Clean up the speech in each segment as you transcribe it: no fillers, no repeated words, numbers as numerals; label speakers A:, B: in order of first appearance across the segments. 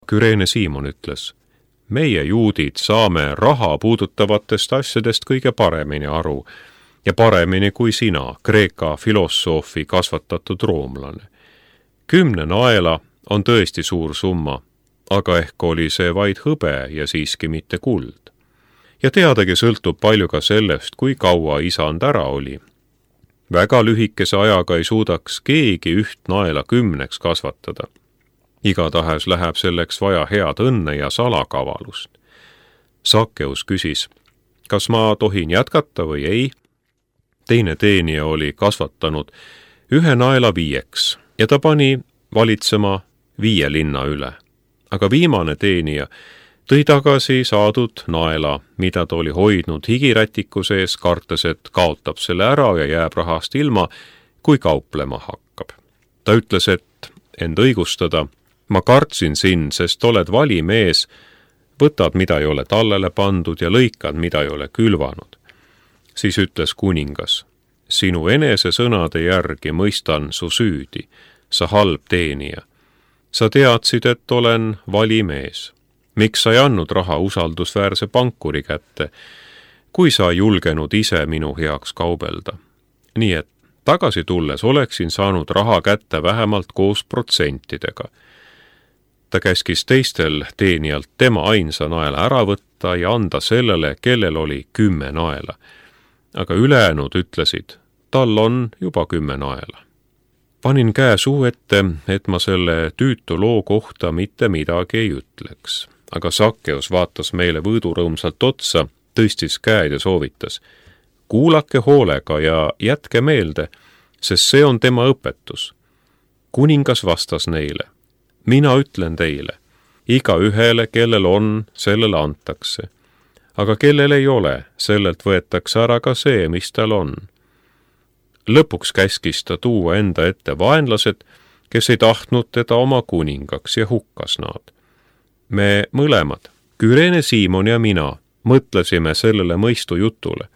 A: Küreene Siimon ütles, meie juudid saame raha puudutavatest asjadest kõige paremini aru ja paremini kui sina, Kreeka filosoofi kasvatatud roomlane. 10 naela on tõesti suur summa, aga ehk oli see vaid hõbe ja siiski mitte kuld. Ja teadagi sõltub palju ka sellest, kui kaua isand ära oli. Väga lühikese ajaga ei suudaks keegi 1 naela 10 kasvatada. Igatahes läheb selleks vaja head õnne ja salakavalust. Sakkeus küsis, kas ma tohin jätkata või ei? Teine teenija oli kasvatanud 1 naela 5 ja ta pani valitsema 5 linna üle. Aga viimane teenija tõi tagasi saadud naela, mida ta oli hoidnud higirätiku sees, kartes, et kaotab selle ära ja jääb rahast ilma, kui kauplema hakkab. Ta ütles, et end õigustada, ma kartsin sind, sest oled valimees, võtad, mida ei ole tallele pandud ja lõikad, mida ei ole külvanud. Siis ütles kuningas, sinu enese sõnade järgi mõistan su süüdi, sa halb teenija. Sa teadsid, et olen valimees. Miks sa ei andnud raha usaldusväärse pankuri kätte, kui sa ei julgenud ise minu heaks kaubelda? Nii et tagasi tulles oleksin saanud raha kätte vähemalt koos protsentidega. Ta käskis teistel teenijalt tema ainsa naela ära võtta ja anda sellele, kellel oli 10 naela. Aga ülejäänud ütlesid, tal on juba 10 naela. Panin käe suu ette, et ma selle tüütu loo kohta mitte midagi ei ütleks. Aga Sakkeus vaatas meile võõdurõõmsalt otsa, tõstis käed ja soovitas. Kuulake hoolega ja jätke meelde, sest see on tema õpetus. Kuningas vastas neile. Mina ütlen teile, iga ühele, kellel on, sellele antakse. Aga kellel ei ole, sellelt võetakse ära ka see, mis tal on. Lõpuks käskis ta tuua enda ette vaenlased, kes ei tahtnud teda oma kuningaks ja hukkas nad. Me mõlemad, Küreene Siimon ja mina, mõtlesime sellele mõistu jutule.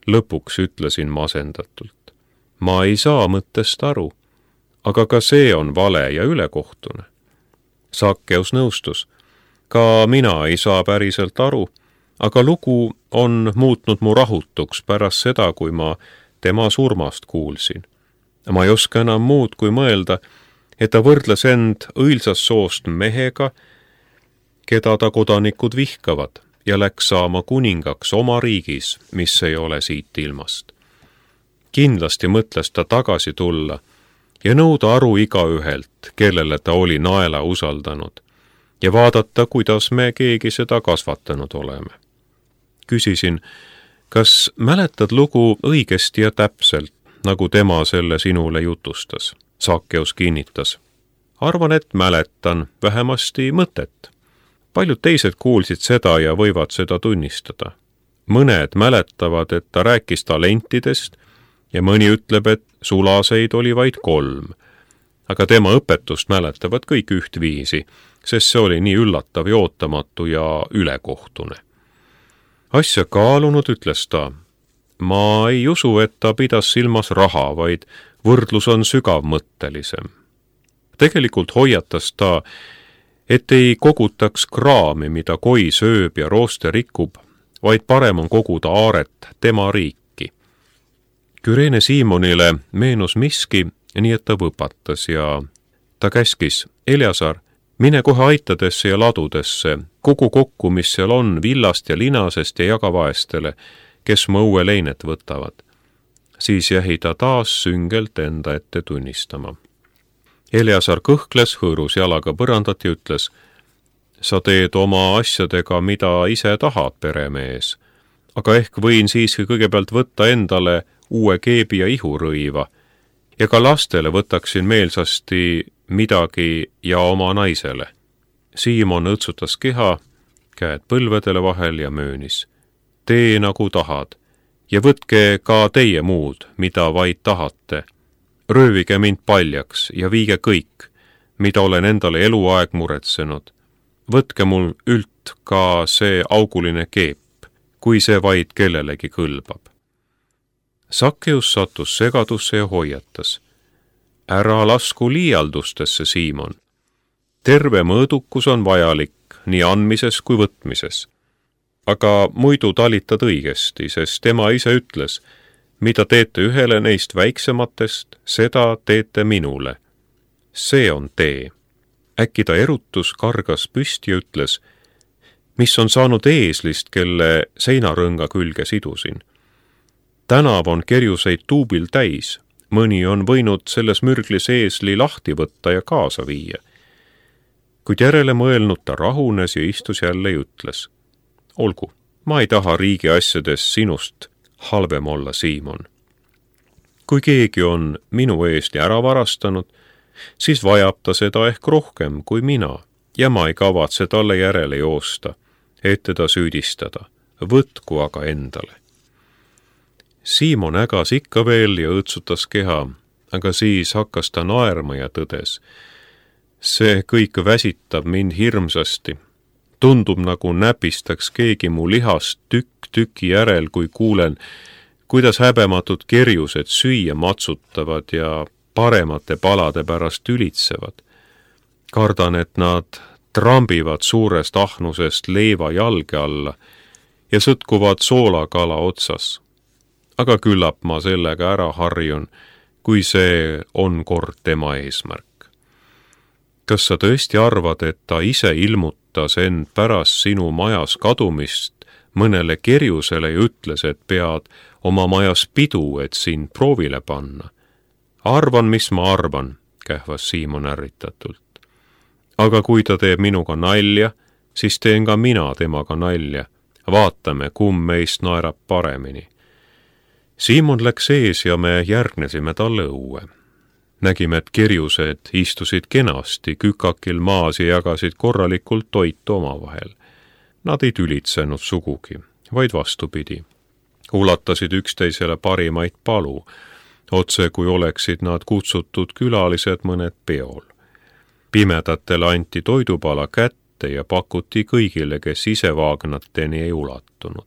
A: Lõpuks ütlesin masendatult. Ma ei saa mõttest aru, aga ka see on vale ja ülekohtune. Sakkeus nõustus. Ka mina ei saa päriselt aru, aga lugu on muutnud mu rahutuks pärast seda, kui ma tema surmast kuulsin. Ma ei oska enam muud kui mõelda, et ta võrdles end õilsast soost mehega, keda ta kodanikud vihkavad ja läks saama kuningaks oma riigis, mis ei ole siit ilmast. Kindlasti mõtles ta tagasi tulla ja nõuda aru igaühelt, kellele ta oli naela usaldanud, ja vaadata, kuidas me keegi seda kasvatanud oleme. Küsisin, kas mäletad lugu õigesti ja täpselt, nagu tema selle sinule jutustas? Sakkeus kinnitas. Arvan, et mäletan vähemasti mõtet. Paljud teised kuulsid seda ja võivad seda tunnistada. Mõned mäletavad, et ta rääkis talentidest ja mõni ütleb, et sulaseid oli vaid 3. Aga tema õpetust mäletavad kõik ühtviisi, sest see oli nii üllatav ja ootamatu ja ülekohtune. Asja kaalunud ütles ta, ma ei usu, et ta pidas silmas raha, vaid võrdlus on sügavmõttelisem. Tegelikult hoiatas ta, et ei kogutaks kraami, mida koi sööb ja rooste rikub, vaid parem on koguda aaret tema riiki. Küreene Siimonile meenus miski, nii et ta võpatas ja ta käskis, Eleasar, mine kohe aitadesse ja ladudesse, kogu kokku, mis seal on, villast ja linasest ja jaga vaestele, kes mu õue leinet võtavad. Siis jäi ta taas süngelt enda ette tunnistama. Eleasar kõhkles, hõõrus jalaga põrandat ja ütles, sa teed oma asjadega, mida ise tahad, peremees, aga ehk võin siiski kõigepealt võtta endale uue keebi ja ihurõiva ja ka lastele võtaksin meelsasti midagi ja oma naisele. Siimon õtsutas keha, käed põlvedele vahel ja möönis. Tee nagu tahad ja võtke ka teie muud, mida vaid tahate. Röövige mind paljaks ja viige kõik, mida olen endale eluaeg muretsenud. Võtke mul ült ka see auguline keep, kui see vaid kellelegi kõlbab. Sakkeus sattus segadusse ja hoiatas. Ära lasku liialdustesse, Siimon. Terve mõõdukus on vajalik nii andmises kui võtmises. Aga muidu talitad õigesti, sest tema ise ütles, mida teete ühele neist väiksematest, seda teete minule. See on tee. Äkki ta erutus, kargas püsti ja ütles, mis on saanud eeslist, kelle seinarõnga külge sidusin. Tänav on kerjuseid tuubil täis, mõni on võinud selles mürglis eesli lahti võtta ja kaasa viia. Kuid järele mõelnud ta rahunes ja istus jälle ja ütles, olgu, ma ei taha riigi asjades sinust halvem olla, Siimon. Kui keegi on minu eesli ära varastanud, siis vajab ta seda ehk rohkem kui mina ja ma ei kavatse talle järele joosta, et teda süüdistada, võtku aga endale. Siimon ägas ikka veel ja õõtsutas keha, aga siis hakkas ta naerma ja tõdes. See kõik väsitab mind hirmsasti. Tundub nagu näpistaks keegi mu lihast tükk tüki järel, kui kuulen, kuidas häbematud kerjused süüa matsutavad ja paremate palade pärast ülitsevad. Kardan, et nad trambivad suurest ahnusest leiva jalge alla ja sõtkuvad soolakala otsas. Aga küllap ma sellega ära harjun, kui see on kord tema eesmärk. Kas sa tõesti arvad, et ta ise ilmutas end pärast sinu majas kadumist mõnele kerjusele ja ütles, et pead oma majas pidu, et sind proovile panna? Arvan, mis ma arvan, kähvas Siimon ärritatult. Aga kui ta teeb minuga nalja, siis teen ka mina temaga nalja. Vaatame, kumb meist naerab paremini. Siimon läks ees ja me järgnesime talle õue. Nägime, et kerjused istusid kenasti kükakil maas ja jagasid korralikult toitu omavahel. Nad ei tülitsenud sugugi, vaid vastupidi. Ulatasid üksteisele parimaid palu, otse kui oleksid nad kutsutud külalised mõned peol. Pimedatele anti toidupala kätte ja pakuti kõigile, kes ise vaagnateni ei ulatunud.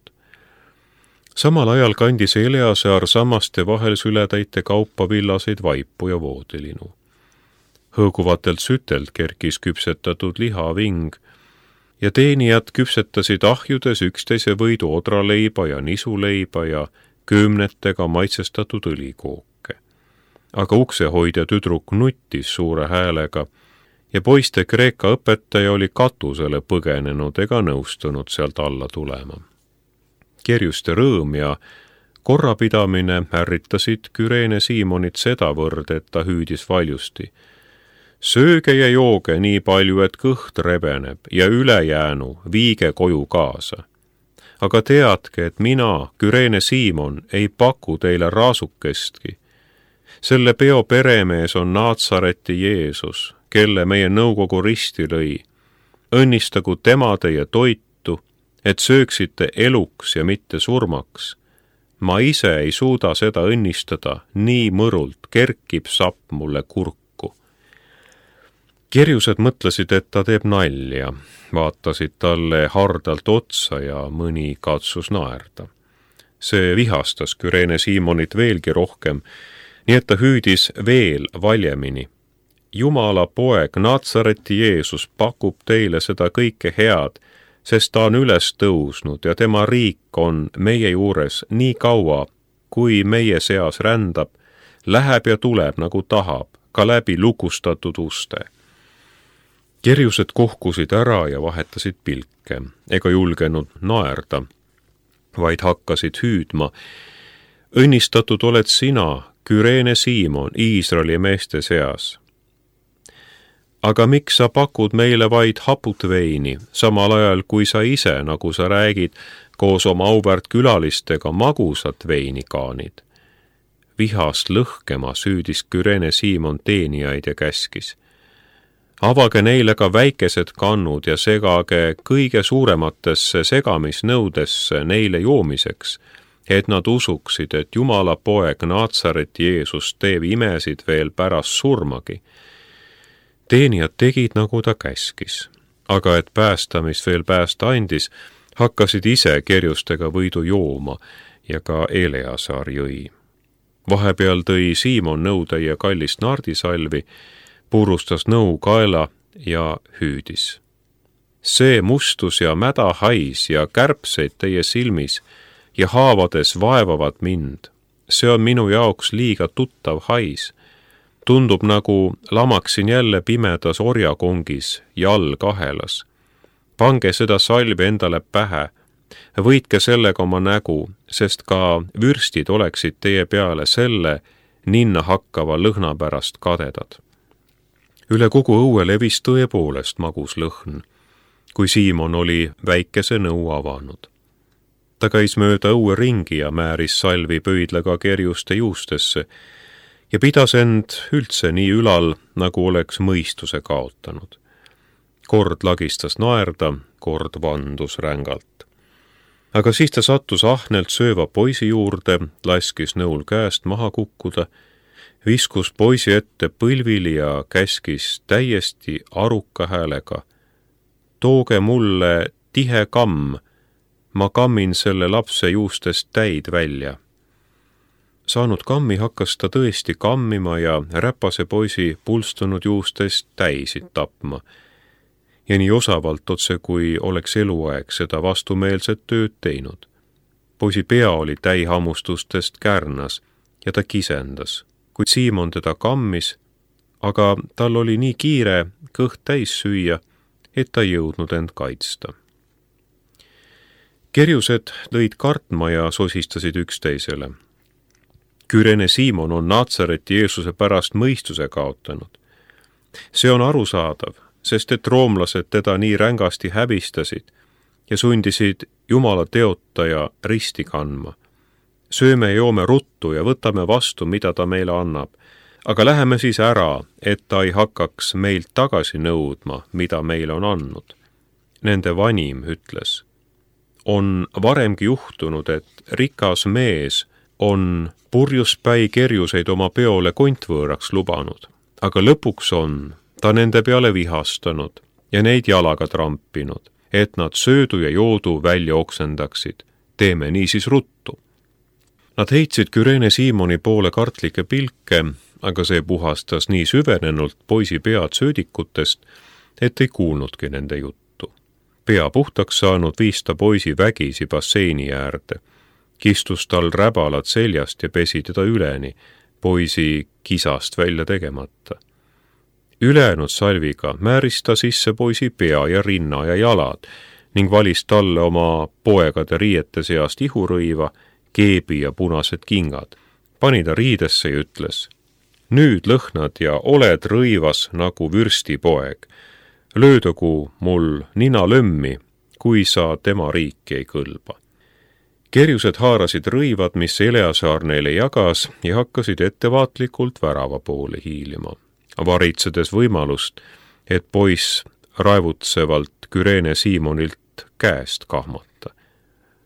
A: Samal ajal kandis Eleasaar sammaste vahel sületäite kaupa villaseid vaipu ja voodilinu. Hõõguvatelt sütelt kerkis küpsetatud lihaving ja teenijad küpsetasid ahjudes üksteise võidu odraleiba ja nisuleiba ja köömnetega maitsestatud õlikooke. Aga uksehoidja tüdruk nuttis suure häälega ja poiste kreeka õpetaja oli katusele põgenenud ega nõustunud sealt alla tulema. Kerjuste rõõm ja korrapidamine ärritasid Küreene Siimonit sedavõrd, et ta hüüdis valjusti. Sööge ja jooge nii palju, et kõht rebeneb ja ülejäänu viige koju kaasa. Aga teadke, et mina, Küreene Siimon, ei paku teile raasukestki. Selle peo peremees on Naatsareti Jeesus, kelle meie nõukogu risti lõi. Õnnistagu tema teie toitu, et sööksite eluks ja mitte surmaks. Ma ise ei suuda seda õnnistada, nii mõrult kerkib sapp mulle kurku. Kerjused mõtlesid, et ta teeb nalja, vaatasid talle hardalt otsa ja mõni katsus naerda. See vihastas Küreene Siimonit veelgi rohkem, nii et ta hüüdis veel valjemini. Jumala poeg Naatsareti Jeesus pakub teile seda kõike head, sest ta on üles tõusnud ja tema riik on meie juures nii kaua, kui meie seas rändab, läheb ja tuleb nagu tahab, ka läbi lukustatud uste. Kerjused kohkusid ära ja vahetasid pilke, ega julgenud naerda, vaid hakkasid hüüdma. Õnnistatud oled sina, Küreene Siimon, Iisraeli meeste seas. Aga miks sa pakud meile vaid haput veini, samal ajal kui sa ise, nagu sa räägid, koos oma auväärt külalistega magusat veini kaanid? Vihast lõhkema süüdis Küreene Siimon teenijaid ja käskis. Avage neile ka väikesed kannud ja segage kõige suurematesse segamisnõudesse neile joomiseks, et nad usuksid, et Jumala poeg Naatsareti Jeesus teeb imesid veel pärast surmagi. Teenijad tegid, nagu ta käskis, aga et päästa, mis veel päästa andis, hakkasid ise kerjustega võidu jooma ja ka Eleasaar jõi. Vahepeal tõi Siimon nõutäie kallist nardisalvi, purustas nõu kaela ja hüüdis. See mustus ja mäda hais ja kärbseid teie silmis ja haavades vaevavad mind. See on minu jaoks liiga tuttav hais. Tundub nagu lamaksin jälle pimedas orjakongis jalgahelas. Pange seda salvi endale pähe, võitke sellega oma nägu, sest ka vürstid oleksid teie peale selle ninna hakkava lõhna pärast kadedad. Üle kogu õue levis tõepoolest magus lõhn, kui Siimon oli väikese nõu avanud. Ta käis mööda õue ringi ja määris salvi pöidlaga kerjuste juustesse ja pidas end üldse nii ülal, nagu oleks mõistuse kaotanud. Kord lagistas naerda, kord vandus rängalt. Aga siis ta sattus ahnelt sööva poisi juurde, laskis nõul käest maha kukkuda, viskus poisi ette põlvili ja käskis täiesti aruka häälega. Tooge mulle tihe kamm, ma kammin selle lapse juustest täid välja. Saanud kammi hakkas ta tõesti kammima ja räpase poisi pulstunud juustest täisid tapma. Ja nii osavalt otse, kui oleks eluaeg seda vastumeelset tööd teinud. Poisi pea oli täihammustustest kärnas ja ta kisendas, kuid Siimon teda kammis, aga tal oli nii kiire kõht täis süüa, et ta jõudnud end kaitsta. Kerjused lõid kartma ja sosistasid üksteisele. Küreene Siimon on Naatsareti Jeesuse pärast mõistuse kaotanud. See on arusaadav, sest et roomlased teda nii rängasti häbistasid ja sundisid Jumala teotaja risti kandma. Sööme ja joome ruttu ja võtame vastu, mida ta meile annab, aga läheme siis ära, et ta ei hakkaks meilt tagasi nõudma, mida meile on andnud. Nende vanim ütles, on varemgi juhtunud, et rikas mees on purjuspäi kerjuseid oma peole kontvõõraks lubanud, aga lõpuks on ta nende peale vihastanud ja neid jalaga trampinud, et nad söödu ja joodu välja oksendaksid. Teeme niisiis ruttu. Nad heitsid Küreene Siimoni poole kartlikke pilke, aga see puhastas nii süvenenult poisi pead söödikutest, et ei kuulnudki nende juttu. Pea puhtaks saanud viis ta poisi vägisi basseini äärde. Kistus tal räbalad seljast ja pesi teda üleni, poisi kisast välja tegemata. Ülejäänud salviga määris ta sisse poisi pea ja rinna ja jalad ning valis talle oma poegade riiete seast ihurõiva, keebi ja punased kingad. Pani ta riidesse ja ütles, nüüd lõhnad ja oled rõivas nagu vürstipoeg. Löödagu mul nina lömmi, kui sa tema riiki ei kõlba. Kerjused haarasid rõivad, mis Eleasaar neile jagas ja hakkasid ettevaatlikult värava poole hiilima, varitsedes võimalust, et poiss raevutsevalt Küreene Siimonilt käest kahmata.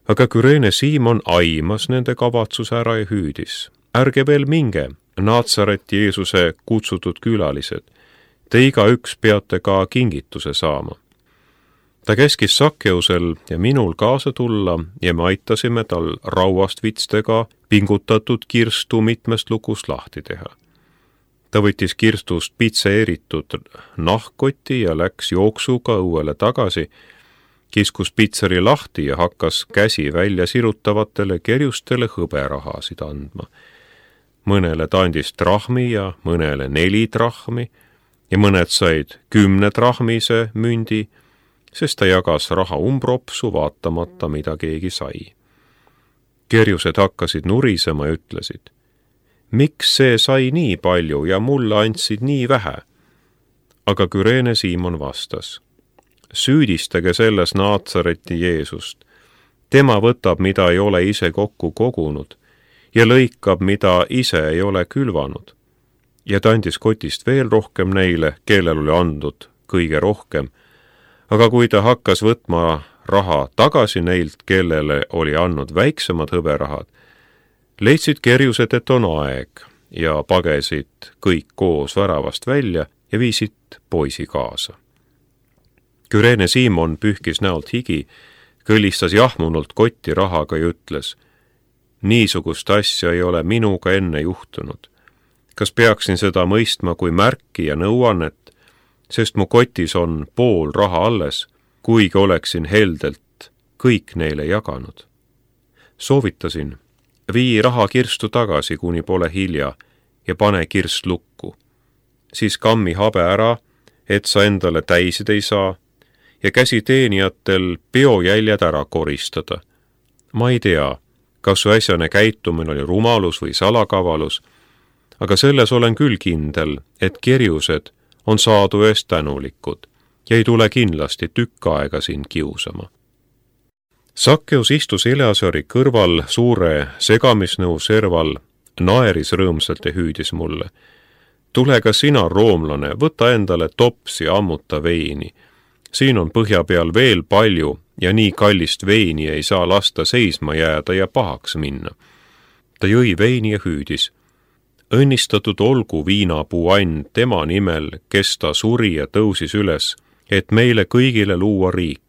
A: Aga Küreene Siimon aimas nende kavatsus ära ja hüüdis. Ärge veel minge, Naatsareti Jeesuse kutsutud külalised. Te igaüks peate ka kingituse saama. Ta käskis Sakkeusel ja minul kaasa tulla ja me aitasime tal rauast vitstega pingutatud kirstu mitmest lukust lahti teha. Ta võttis kirstust pitseeritud nahkkoti ja läks jooksuga õuele tagasi, kiskus pitseri lahti ja hakkas käsi välja sirutavatele kerjustele hõberahasid andma. Mõnele ta andis trahmi ja mõnele 4 trahmi ja mõned said 10 trahmise mündi, sest ta jagas raha umbropsu vaatamata, mida keegi sai. Kerjused hakkasid nurisema ja ütlesid, miks see sai nii palju ja mulle andsid nii vähe? Aga Küreene Siimon vastas, süüdistage selles Naatsareti Jeesust. Tema võtab, mida ei ole ise kokku kogunud ja lõikab, mida ise ei ole külvanud. Ja ta andis kotist veel rohkem neile, kellel oli andnud kõige rohkem. Aga kui ta hakkas võtma raha tagasi neilt, kellele oli andnud väiksemad hõberahad, leidsid kerjused, et on aeg ja pagesid kõik koos väravast välja ja viisid poisi kaasa. Küreene Siimon pühkis näolt higi, kõlistas jahmunult kotti rahaga ja ütles, niisugust asja ei ole minuga enne juhtunud. Kas peaksin seda mõistma kui märki ja nõuannet? sest mu kotis on pool raha alles, kuigi oleksin heldelt kõik neile jaganud. Soovitasin, vii raha kirstu tagasi, kuni pole hilja, ja pane kirst lukku. Siis kammi habe ära, et sa endale täisid ei saa, ja käsi teenijatel peojäljed ära koristada. Ma ei tea, kas su äsjane käitumine oli rumalus või salakavalus, aga selles olen küll kindel, et kerjused on saadu eest tänulikud ja ei tule kindlasti tükk aega sind kiusama. Sakkeus istus Eleasari kõrval suure segamisnõu serval, naeris rõõmsalt ja hüüdis mulle. Tule ka sina, roomlane, võta endale tops ja ammuta veini. Siin on põhja peal veel palju ja nii kallist veini ei saa lasta seisma jääda ja pahaks minna. Ta jõi veini ja hüüdis. Õnnistatud olgu viinapuu and tema nimel, kes ta suri ja tõusis üles, et meile kõigile luua riik.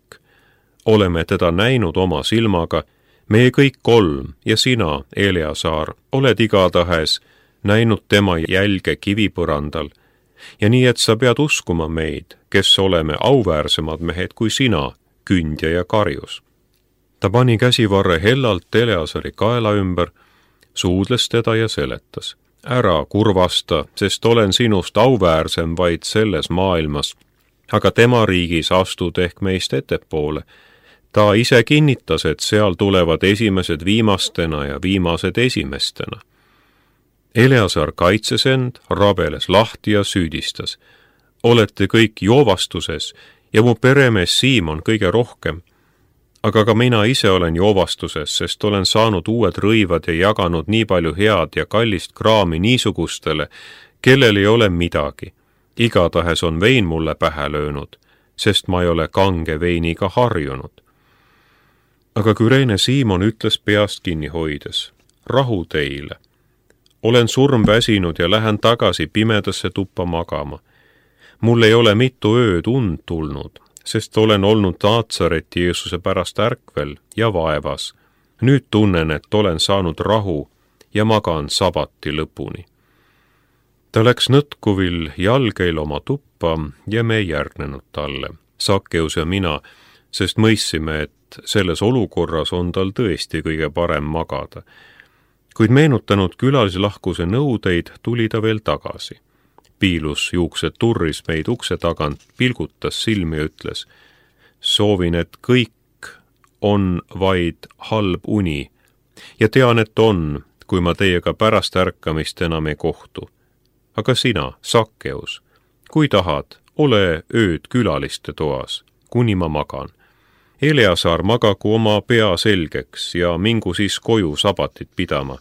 A: Oleme teda näinud oma silmaga, meie kõik kolm ja sina, Eleasar, oled igatahes näinud tema jälge kivipõrandal. Ja nii, et sa pead uskuma meid, kes oleme auväärsemad mehed kui sina, kündja ja karjus. Ta pani käsivarre hellalt Eleasari kaela ümber, suudles teda ja seletas. Ära kurvasta, sest olen sinust auväärsem vaid selles maailmas, aga tema riigis astud ehk meist ettepoole. Ta ise kinnitas, et seal tulevad esimesed viimastena ja viimased esimestena. Eleasar kaitses end, rabeles lahti ja süüdistas. Olete kõik joovastuses ja mu peremees Siimon kõige rohkem. Aga ka mina ise olen joovastuses, sest olen saanud uued rõivad ja jaganud nii palju head ja kallist kraami niisugustele, kellel ei ole midagi. Igatahes on vein mulle pähe löönud, sest ma ei ole kange veiniga harjunud. Aga Küreene Siimon ütles peast kinni hoides, rahu teile. Olen surmväsinud ja lähen tagasi pimedasse tuppa magama. Mul ei ole mitu ööd und tulnud, sest olen olnud Naatsareti Jeesuse pärast ärkvel ja vaevas. Nüüd tunnen, et olen saanud rahu ja magan sabati lõpuni. Ta läks nõtkuvil jalgeil oma tuppa ja me ei järgnenud talle, Sakkeus ja mina, sest mõissime, et selles olukorras on tal tõesti kõige parem magada. Kuid meenutanud külalislahkuse nõudeid, tuli ta veel tagasi. Piilus juuksed turris meid ukse tagant, pilgutas silmi ja ütles, soovin, et kõik on vaid halb uni ja tean, et on, kui ma teiega pärast ärkamist enam ei kohtu. Aga sina, Sakkeus, kui tahad, ole ööd külaliste toas, kuni ma magan. Eleasar magagu oma pea selgeks ja mingu siis koju sabatit pidama,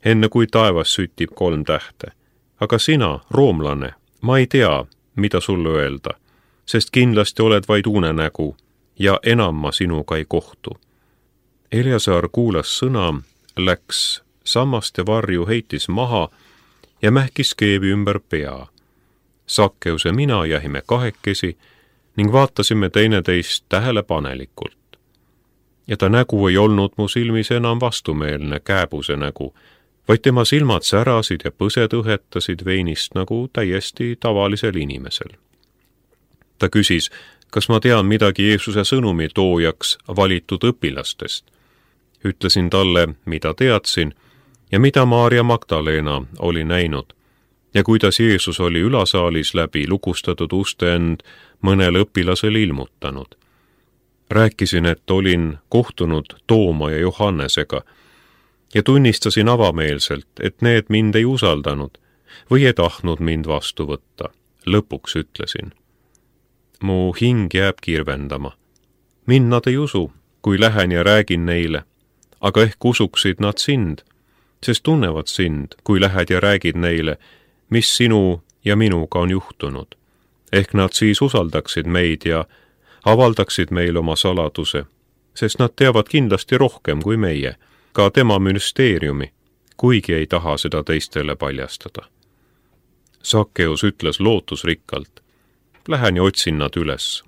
A: enne kui taevas sütib 3 tähte. Aga sina, roomlane, ma ei tea, mida sulle öelda, sest kindlasti oled vaid unenägu ja enam ma sinuga ei kohtu. Eleasar kuulas sõna, läks sammaste varju, heitis maha ja mähkis keevi ümber pea. Sakkeus ja mina jäime kahekesi ning vaatasime teineteist tähelepanelikult. Ja ta nägu ei olnud mu silmis enam vastumeelne kääbuse nägu, vaid tema silmad särasid ja põsed õhetasid veinist nagu täiesti tavalisel inimesel. Ta küsis, kas ma tean midagi Jeesuse sõnumi toojaks valitud õpilastest. Ütlesin talle, mida teadsin ja mida Maarja Magdalena oli näinud ja kuidas Jeesus oli ülasaalis läbi lukustatud uste end mõnele õpilasele ilmutanud. Rääkisin, et olin kohtunud Tooma ja Johannesega ja tunnistasin avameelselt, et need mind ei usaldanud või ei tahtnud mind vastu võtta. Lõpuks ütlesin. Mu hing jääb kirvendama. Mind nad ei usu, kui lähen ja räägin neile, aga ehk usuksid nad sind, sest tunnevad sind, kui lähed ja räägid neile, mis sinu ja minuga on juhtunud. Ehk nad siis usaldaksid meid ja avaldaksid meil oma saladuse, sest nad teavad kindlasti rohkem kui meie, ka tema müsteeriumi, kuigi ei taha seda teistele paljastada. Sakkeus ütles lootusrikkalt, lähen ja otsin nad üles.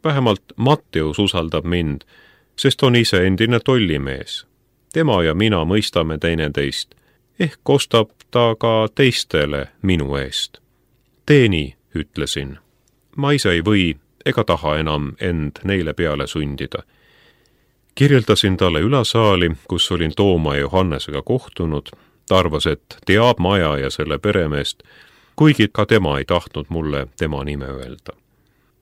A: Vähemalt Matteus usaldab mind, sest on ise endine tollimees. Tema ja mina mõistame teineteist, ehk kostab ta ka teistele minu eest. Tee nii, ütlesin. ma ise ei või ega taha enam end neile peale sundida. Kirjeldasin talle ülasaali, kus olin Tooma ja Johannesega kohtunud. Ta arvas, et teab maja ja selle peremeest, kuigi ka tema ei tahtnud mulle tema nime öelda.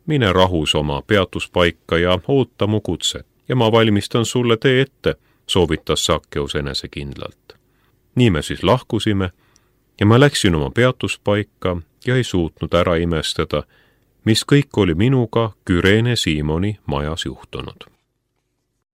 A: Mine rahus oma peatuspaika ja oota mu kutset ja ma valmistan sulle tee ette, soovitas Sakkeus enesekindlalt. Nii me siis lahkusime ja ma läksin oma peatuspaika ja ei suutnud ära imestada, mis kõik oli minuga Kyrene Siimoni majas juhtunud.